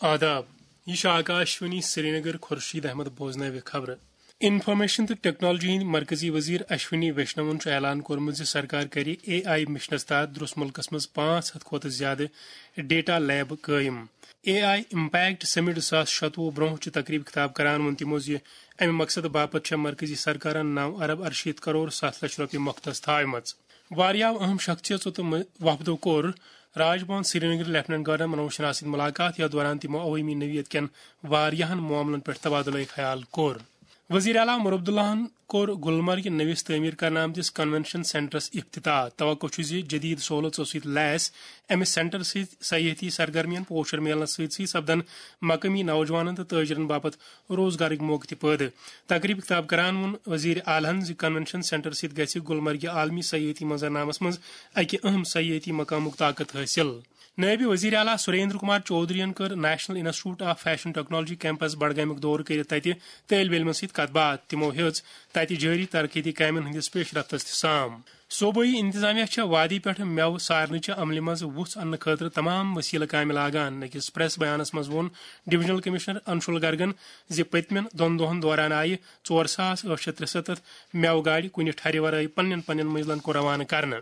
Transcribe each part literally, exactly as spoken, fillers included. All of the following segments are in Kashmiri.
آداب، یہِ چھُ آکاشوانی سرینگر۔ خورشید احمد بوزناوِ خبرٕ۔ انفارمیشن تہٕ ٹیکنالوجی ہٕنٛدۍ مرکزی وزیر اشونی ویشنون چھُ اعلان کوٚرمُت زِ سرکار کرِ اے آئی مشنس تحت درس ملکس منٛز پانٛژھ ہتھ کھۄتہٕ زیادٕ ڈیٹا لیب قٲیِم۔ اے آئی امپیکٹ سمٹ زٕ ساس شتوُہ برونٛہہ چہِ تقریبہِ خطاب کران ووٚن تِمو زِ امہِ مقصدٕ باپتھ چھےٚ مرکزی سرکارن نو ارب ارشیٖتھ کرور ستھ لچھ رۄپیہِ مۄختص تھاوِمژ۔ واریاہو اہم شخصیژو تہٕ م-، وفدو کوٚر راج بھون سرینگر لیفٹیننٹ گورنر منوج سنہا سۭتۍ ملاقات، یتھ دوران تِمو عوٲمی نوعیت کٮ۪ن واریاہن معاملن پٮ۪ٹھ تبادلہٕ خیال کوٚر۔ وزیر اعلیٰ عمر عبداللہن کوٚر گلمرگہِ نٔوِس تعمیٖر کرنہٕ آمتِس کنونشن سینٹرس افتتاح۔ توقع چھُ زِ جدید سہولژو سۭتۍ لیس امہِ سینٹر سۭتۍ سیاحتی سرگرمین پوشر میلنس سۭتۍ سۭتۍ سپدن مقٲمی نوجوانن تہٕ تاجرن باپتھ روزگارٕکۍ موقعہٕ تہِ پٲدٕ۔ تقریبہِ خطاب کران ووٚن وزیر اعلیٰ ہن زِ کنونشن سینٹر سۭتۍ گژھِ گلمرگہِ عالمی سیاحتی منظرنامس منٛز اکہِ اہم سیاحتی مقامُک طاقت حٲصِل۔ نٲیِب وزیر اعلیٰ سریندر کمار چودھرین کٔر national institute of fashion technology campus بڈگامیُک دورٕ کٔرِتھ تتہِ طٲلبہِ علمن سۭتۍ کتھ باتھ۔ تِمو ہیٚژ تتہِ جٲری ترقیتی کامٮ۪ن ہٕنٛدِس پیش رفتس تہِ سام۔ صوبٲئی انتظامیہ چھےٚ وادی پٮ۪ٹھ مٮ۪وٕ سارنٕچہِ عملہِ منٛز وُژھ اننہٕ خٲطرٕ تمام وسیلہٕ کامہِ لاگان۔ أکِس پریس بیانس منٛز ووٚن ڈویژنل کمشنر انشول گرگن زِ پٔتمٮ۪ن دۄن دۄہن دوران آیہِ ژور ساس ٲٹھ شیٚتھ ترٛسَتتھ مٮ۪وٕ گاڑِ کُنہِ ٹھرِ ورٲے پننٮ۪ن پننٮ۪ن منزلن کُن روانہٕ کرنہٕ۔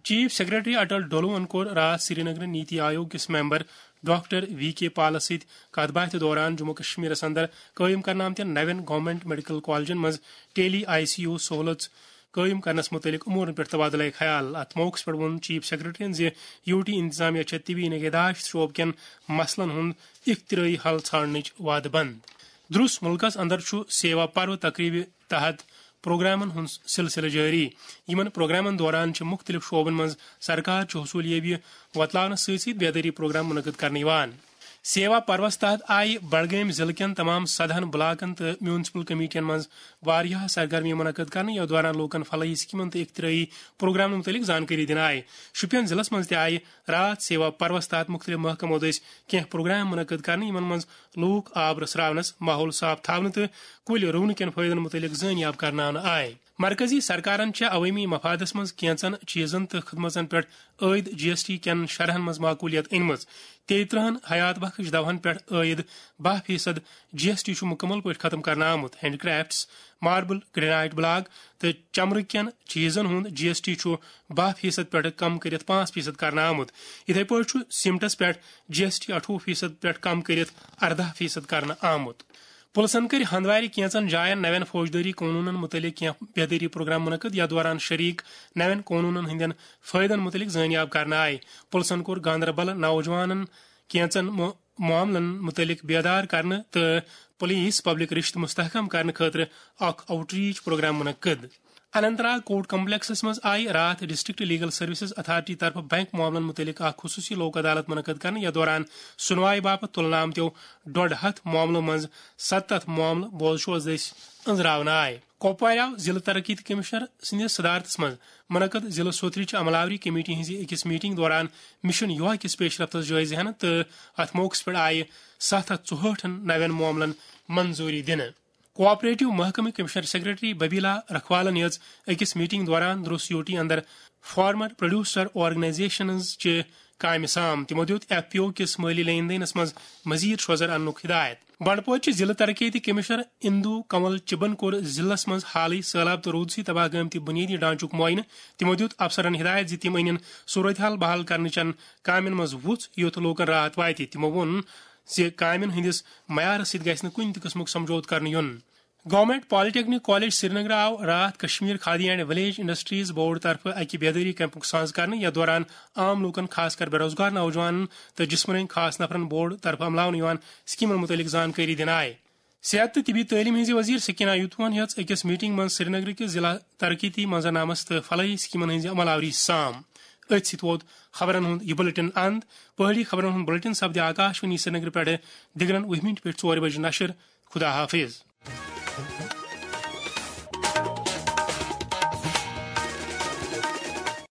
چیف سیکرٹری اٹل ڈولوہن کوٚر راتھ سرینگرٕ نیتی آیوگ کِس ممبر ڈاکٹر وی کے پالس سۭتۍ کتھ باتھِ دوران جموں کشمیرس اندر قٲیِم کرنہٕ آمتٮ۪ن نوٮ۪ن گورنمنٹ میڈیکل کالجن منٛز ٹیلی آئی سی یو سہولژ قٲیِم کرنس مُتعلق امورن پٮ۪ٹھ تبادلہ خیال۔ اتھ موقعس پٮ۪ٹھ ووٚن چیف سیکرٹریَن زِ یو ٹی انتظامیہ چھےٚ طبی نگہداشت شعبہٕ کٮ۪ن مسلن ہُنٛد اختراعی حل ژھانڈنٕچ وعدٕ بنٛد۔ درس ملکس اندر چھُ سیوا پرو تقریبہِ تحت پروگرامن ہُنٛد سلسلہٕ جٲری۔ یِمن پروگرامن دوران چھِ مُختٔلِف شعبن منٛز سرکار چہِ حصوٗلیٲبی وۄتلاونس سۭتۍ سۭتۍ بیدٲری پروگرام منعقد کرنہٕ یِوان۔ سیوا پروس تحت آیہِ بڈگٲمۍ ضلعہٕ کٮ۪ن تمام سدہن بلاکن تہٕ میونسپل کمیٹین منٛز واریاہ سرگرمی منعقد کرنہٕ، یتھ دوران لوٗکن فلاحی سکیمن تہٕ اختراعی پروگرامن مُتعلق زانکٲری دِنہٕ آیہِ۔ شوپین ضلعس منٛز تہِ آیہِ راتھ سیوا پروس تحت مُختٔلِف محکمو دٔسۍ کینٛہہ پروگرام منعقد کرنہٕ، یِمن منٛز لوٗکھ آب رژھراونس، ماحول صاف تھاونہٕ تہٕ کُلۍ رُونہٕ کٮ۪ن فٲیدن مُتعلق زٲنیاب کرناونہٕ آیہِ۔ مرکزی سرکارن چھےٚ عوٲمی مفادس منٛز کینژن چیزن تہٕ خدمژن پٮ۪ٹھ عٲید جی ایس ٹی کٮ۪ن شرحن منٛز معقولیت أنمٕژ۔ تیٚیہِ ترٕہن حیات بخش دوہن پٮ۪ٹھ عٲید باہ فیصد جی ایس ٹی چھُ مُکمل پٲٹھۍ ختم کرنہٕ آمُت۔ Hand crafts, marble, granite block تہٕ چمرٕ کٮ۪ن چیزن ہُنٛد جی ایس ٹی چھُ باہ فیصد پٮ۪ٹھ کم کٔرِتھ پانٛژھ فیصد کرنہٕ آمُت۔ یِتھے پٲٹھۍ چھُ سیمٹس پٮ۪ٹھ جی ایس ٹی اَٹھووُہ فیصد پٮ۪ٹھ کم کٔرِتھ ارداہ فیصد کرنہٕ آمُت۔ پُلسن کٔرۍ ہندوارِ کینژن جاین نوٮ۪ن فوجدٲری قونوٗنن مُتعلق کینٛہہ بیدٲری پروگرام منعقد، یتھ دوران شریک نوٮ۪ن قونوٗنن ہٕنٛدٮ۪ن فٲیدن مُتعلق زٲنیاب کرنہٕ آیہِ۔ پُلسن کوٚر گاندربل نوجوانن کینژن مُ-، معاملن مُتعلق بیدار کرنہٕ تہٕ پُلیٖس پبلک رشتہٕ مستحکم کرنہٕ خٲطرٕ اکھ آؤٹ ریچ پروگرام منعقد۔ اننت ناگ کورٹ کمپلیکسس منٛز آیہِ راتھ ڈسٹرکٹ لیگل سروسز اتھارٹی طرفہٕ بینک معاملن مُتعلق اکھ خصوٗصی لوک عدالت منعقد کرنہٕ، یتھ دوران سُنوایہِ باپتھ تُلنہٕ آمتیو ڈۄڈ ہتھ معاملو منٛز ستتھ معاملہٕ بوزشوس دٔسۍ أنٛزراونہٕ آیہِ۔ کۄپوارِ آو ضلعہٕ ترقیتی کمشنر سٕنٛدِس صدارتس منٛز منعقد ضلعہٕ سوتھرٕچ عملاوری کمیٹی ہٕنٛزِ أکِس میٹنگ دوران مشن یوہا کِس پیش رفتس جٲیزٕ ہینہٕ تہٕ اتھ موقعس پٮ۪ٹھ آیہِ ستھ ہتھ ژُہٲٹھن نوٮ۪ن معاملن منظوٗری دِنہٕ۔ کوآپریٹو محکمہٕ کمشنر سیکرٹری ببیلا رکھوالن ہیٚژ أکِس میٹنگ دوران درس یوٹی اندر فارمر پروڈیوسر آرگنائزیشنز چہِ کامہِ سام۔ تِمو دیُت ایف پی او کِس مٲلی لین دینس منٛز مزید شوزر اننُک ہدایت۔ بنڈپورچہِ ضلعہٕ ترقیتی کمشنر اندو کنول چبن کوٚر ضلعس منٛز حالٕے سٔہلاب تہٕ روٗدسٕے تباہ گٲمتہِ بُنیٲدی ڈھانچُک معائنہٕ۔ تِمو دیُت افسرن ہدایت زِ تِم أنِن صورتحال بحال کرنہٕ چٮ۪ن کامٮ۪ن منٛز وُژھ، یُتھ لوٗکن راحت واتہِ۔ تِمو ووٚن زِ کامٮ۪ن ہٕنٛدِس معیارس سۭتۍ گژھِ نہٕ کُنہِ تہِ قٕسمُک سمجھوتہٕ کرنہٕ یُن۔ گورنمنٹ پالیٹیکنک کالج سرینگر آو راتھ Kashmir khadi and village industries board طرفہٕ اکہِ بیدٲری کیمپُک ساز کرنہٕ، یتھ دوران عام لوٗکن، خاص کر بے روزگار نوجوانن تہٕ جسمٲنی خاص نفرن بورڈ طرفہٕ عملاونہٕ یِوان سکیمن مُتعلق زانکٲری دِنہٕ آیہِ۔ صحت تہٕ طبی تعلیٖم ہٕنٛزِ وزیر سکینہ یوتوہن ہیٚژ أکِس میٹنگ منٛز سرینگرٕ کِس ضلع ترقیتی منظرنامس تہٕ فلاحی سکیمن ہٕنٛزِ عملاوری سام۔ أتھۍ سۭتۍ ووت خبرن ہُنٛد یہِ بلیٹن اند۔ پہٲڑی خبرن ہُنٛد بلیٹن سپدِ آکاشوانی سرینگرٕ پٮ۪ٹھٕ دِگرن وُہہِ مِنٹہِ پٮ۪ٹھ ژورِ بجہِ نشر۔ خدا حافظ۔